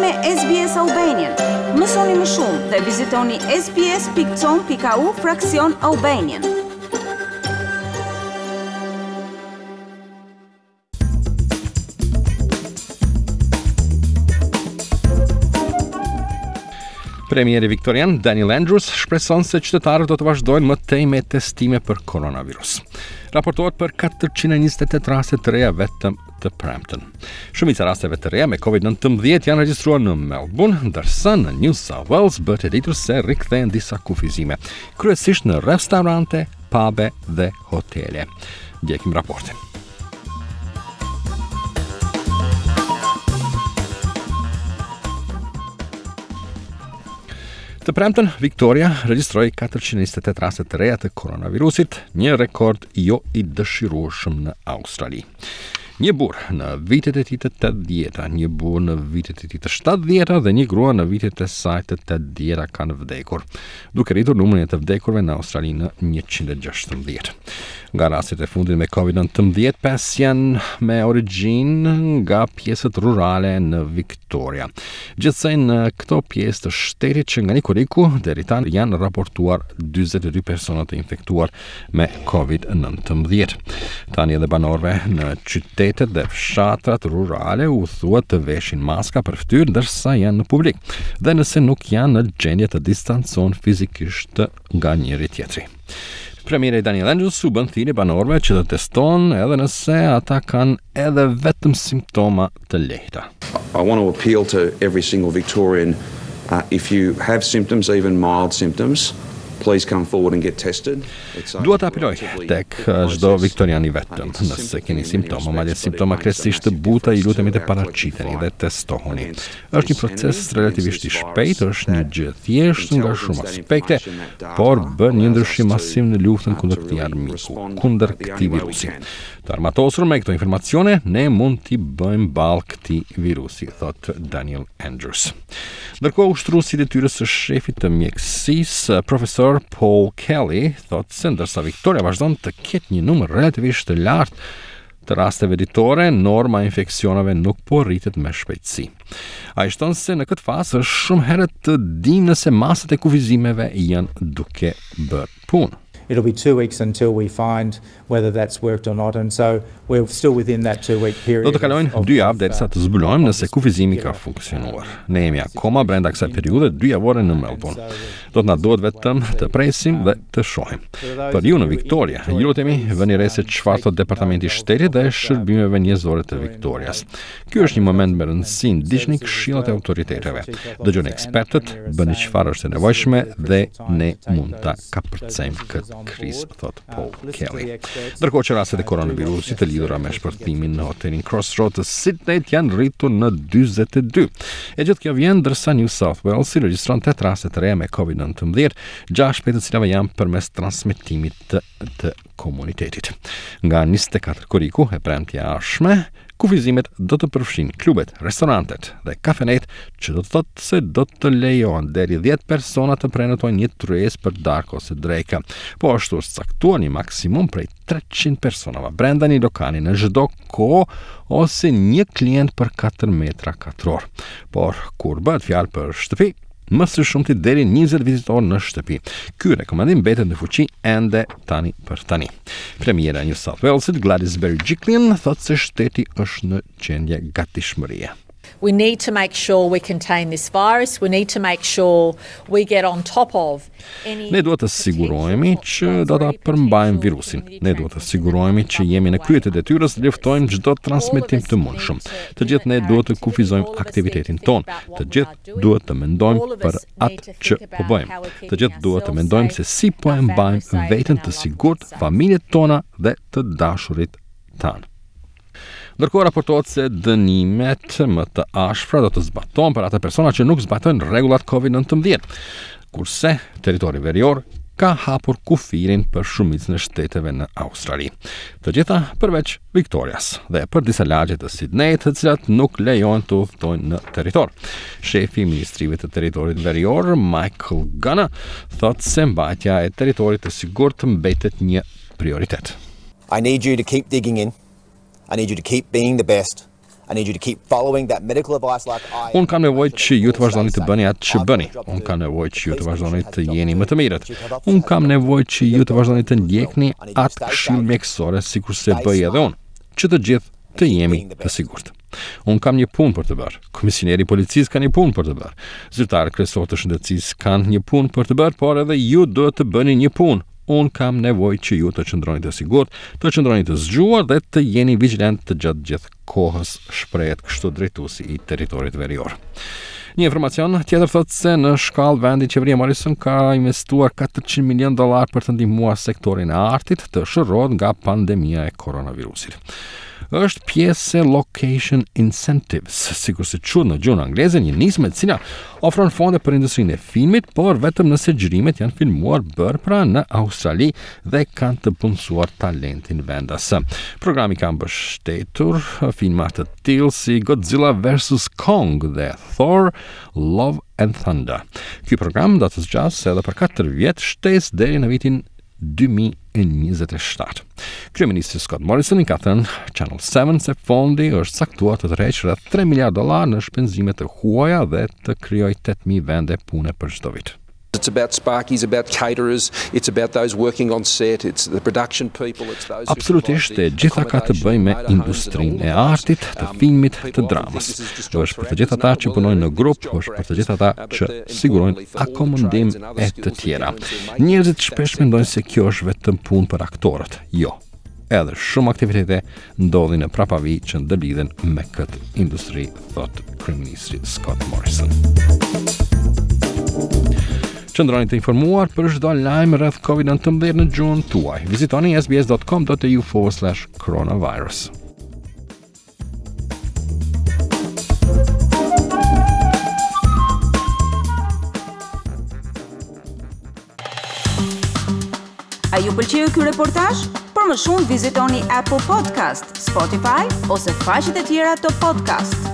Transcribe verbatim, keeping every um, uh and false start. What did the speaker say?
me S B S Albanian. Mësoni më shumë dhe vizitoni S B S pikë com pikë A U fraksion Albanian. Premieri viktorian Daniel Andrews shpreson se qytetarët do të vazhdojnë më tej me testime për koronavirus. Raportohet për katërqind e njëzet e tetë raste të reja vetëm të premten. Shumica e rasteve të reja me COVID nëntëmbëdhjetë janë regjistruar në Melbourne, ndërsa në New South Wales bëhet e ditur se rikthehen disa kufizime, kryesisht në restorante, pube dhe hotele. Ndjekim raportin. Të premten, Victoria regjistroi katërqind e njëzet e tetë raste të reja të koronavirusit, një rekord jo i dëshirueshëm në Australi. Një burr në vitet e tij të tetëdhjeta, një burr në vitet e tij të shtatëdhjeta dhe një grua në vitet e saj të tetëdhjeta kanë vdekur, duke rritur numrin e të vdekurve në Australi në njëqind e gjashtëmbëdhjetë. Nga rastet e fundit me COVID nëntëmbëdhjetë, pesë janë me origjinë nga pjesët rurale në Victoria. Gjithsej në këto pjesë të shtetit që nga një korriku deri tani janë raportuar dyzet e dy persona të infektuar me COVID nëntëmbëdhjetë. Tani edhe banorëve në qytetet dhe fshatrat rurale u thuhet të veshin maska për fytyrë ndërsa janë në publik dhe nëse nuk janë në gjendje të distancohen fizikisht nga njëri tjetri. Premieri Daniel Andrews u bën thirrje banorëve që të testohen edhe nëse ata kanë edhe vetëm simptoma të lehta. I want to appeal to every single Victorian. Uh, if you have symptoms, even mild symptoms, please come forward and get tested. It's a Dua të apeloj tek çdo viktorian i vetëm. Nëse keni simptoma, madje simptoma krejtësisht të buta, ju lutemi të paraqiteni dhe testohuni. Është një proces relativisht i shpejtë, është një gjë e thjeshtë nga shumë aspekte, por bën një ndryshim masiv në luftën kundër këtij armiku, kundër këtij virusi. Të armatosur me këto informacione, ne mund t'i bëjmë ballë këtij virusi, thot Daniel Andrews. Ndërkohë, ushtruesi i detyrës së shefit të mjekësisë, profesor Paul Kelly, thot se ndërsa Victoria vazhdon të ketë një numër relativisht të lartë të rasteve ditore, norma e infeksioneve nuk po rritet me shpejtësi. Ai shton se në këtë fazë është shumë herët të dimë nëse masat e kufizimeve janë duke bërë punë. It'll be two weeks until we find whether that's worked or not, and so we're still within that two-week period. Do të kalojnë dy javë derisa të zbulojmë nëse kufizimi ka funksionuar. Ne jemi akoma brenda kësaj periudhe dy javore në Melbourne. Do të na duhet vetëm të presim dhe të shohim. Për ju në Victoria, ju lutemi vëni re se çfarë thot Departamenti i Shtetit dhe Shërbimeve Njerëzore të Victorias. Ky është një moment me rëndësi, ndiqni këshillat e autoriteteve. Dëgjoni ekspertët, bëni çfarë është e nevojshme dhe ne mund ta kapërcejmë këtë krizë, thot Paul Kelly. Ndërkohë që rastet e koronavirusit të lidhura me shpërthimin në hotelin Crossroad të Sydney janë rritur në dyzet e dy. E gjithë kjo vjen ndërsa New South Wales regjistron tetë raste të reja me COVID nëntëmbëdhjetë, gjashtë prej të cilave janë përmes transmetimit të, të komunitetit. Nga njëzet e katër korriku, e premtja e ardhshme, kufizimet do të përfshijnë klubet, restorantet dhe kafenet, që do të thotë se do të lejohen deri dhjetë persona të prenotojnë një tryezë për darkë ose drekë. Po ashtu është caktuar një maksimum prej treqind personave brenda një lokali në çdo kohë ose një klient për katër metra katror. Por kur bëhet fjalë për shtëpi, më së shumti deri njëzet vizitorë në shtëpi. Ky rekomandim mbetet në fuqi ende tani për tani. Premiera e New South Walesit, Gladys Berejiklian, thotë se shteti është në gjendje gatishmërie. We need to make sure we contain this virus. We need to make sure we get on top of any Ne duhet të sigurohemi që do ta përmbajmë virusin. Ne duhet të sigurohemi që jemi në krye të detyrës dhe luftojmë çdo transmetim të mundshëm. Të gjithë ne duhet të kufizojmë aktivitetin tonë. Të gjithë duhet të mendojmë për atë që po bëjmë. Të gjithë duhet të mendojmë se si po e mbajmë veten të sigurt, familjet tona dhe të dashurit tanë. Ndërkohë raportohet se dënimet më të ashpra do të zbatohen për ata persona që nuk zbatojnë rregullat COVID nëntëmbëdhjetë. Kurse territori verior ka hapur kufirin për shumicën e shteteve në Australi. Të gjitha përveç Victorias dhe për disa lagje të Sydney, të cilat nuk lejohen të udhëtojnë në territor. Shefi i Ministrive të Territorit Verior, Michael Gunner, thotë se mbajtja e territorit të sigurt mbetet një prioritet. I need you to keep digging in. I need you to keep being the best. I need you to keep following that medical advice like I Unë kam nevojë që ju të vazhdoni të bëni atë që bëni. Unë kam nevojë që ju të vazhdoni të jeni më të mirët. Unë kam nevojë që ju të vazhdoni të ndjekni atë këshillë mjekësore sikurse bëj edhe unë, që të gjithë të jemi të sigurt. Unë kam një punë për të bërë. Komisioneri i policisë ka një punë për të bërë. Zyrtarët kryesor të shëndetësisë kanë një punë për të bërë, por edhe ju duhet të bëni një punë. Unë kam nevojë që ju të qëndroni të sigurt, të qëndroni të zgjuar dhe të jeni vigjilent të gjatë gjithë kohës, shprehet kështu drejtuesi i territorit verior. Një informacion tjetër thotë se në shkallë vendi qeveria Morrison ka investuar katërqind milion dollar për të ndihmuar sektorin e artit të shërohet nga pandemia e koronavirusit. Është pjesë e Location Incentives, sikurse quhet në gjuhën angleze, një nismë e cila ofron fonde për industrinë e filmit, por vetëm nëse xhirimet janë filmuar bërë pra në Australi dhe kanë të punësuar talentin vendas. Programi ka mbështetur filma të tillë si Godzilla versus Kong dhe Thor Love and Thunder. Ky program do të zgjasë edhe për katër vjet shtesë deri në vitin dy mijë e njëzet e shtatë. Kryeministri Scott Morrison i ka thënë Channel seven se fondi është caktuar të tërheqë rreth tre miliard dollar në shpenzime të huaja dhe të krijojë tetë mijë vende pune për çdo vit. It's about sparkies, about caterers, it's about those working on set, it's the production people, it's those who Absolutisht, provide e the gjitha ka të bëjë me accommodation, industrinë e motorhomes and all artit, that. të Um, filmit, people të often dramës. think this is just job Është for për të gjithë actors. ata No, që well, punojnë në there is grup, job është for për të gjithë actors, ata uh, but që the importantly sigurojnë for all the akomodim trades and other e të skills that tjera. go into making Njerëzit that shpesh sector. mendojnë se kjo është vetëm punë për aktorët. Jo. Edhe shumë aktivitete ndodhin në prapavi që ndërlidhen me këtë industri, thot kryeministri Scott Morrison. Qëndroni të informuar për çdo lajm rreth COVID nëntëmbëdhjetë në gjuhën tuaj. Vizitoni S B S dot com dot A U forward slash coronavirus. A ju pëlqeu ky reportazh? Për më shumë vizitoni Apple Podcast, Spotify ose faqet e tjera të podcast.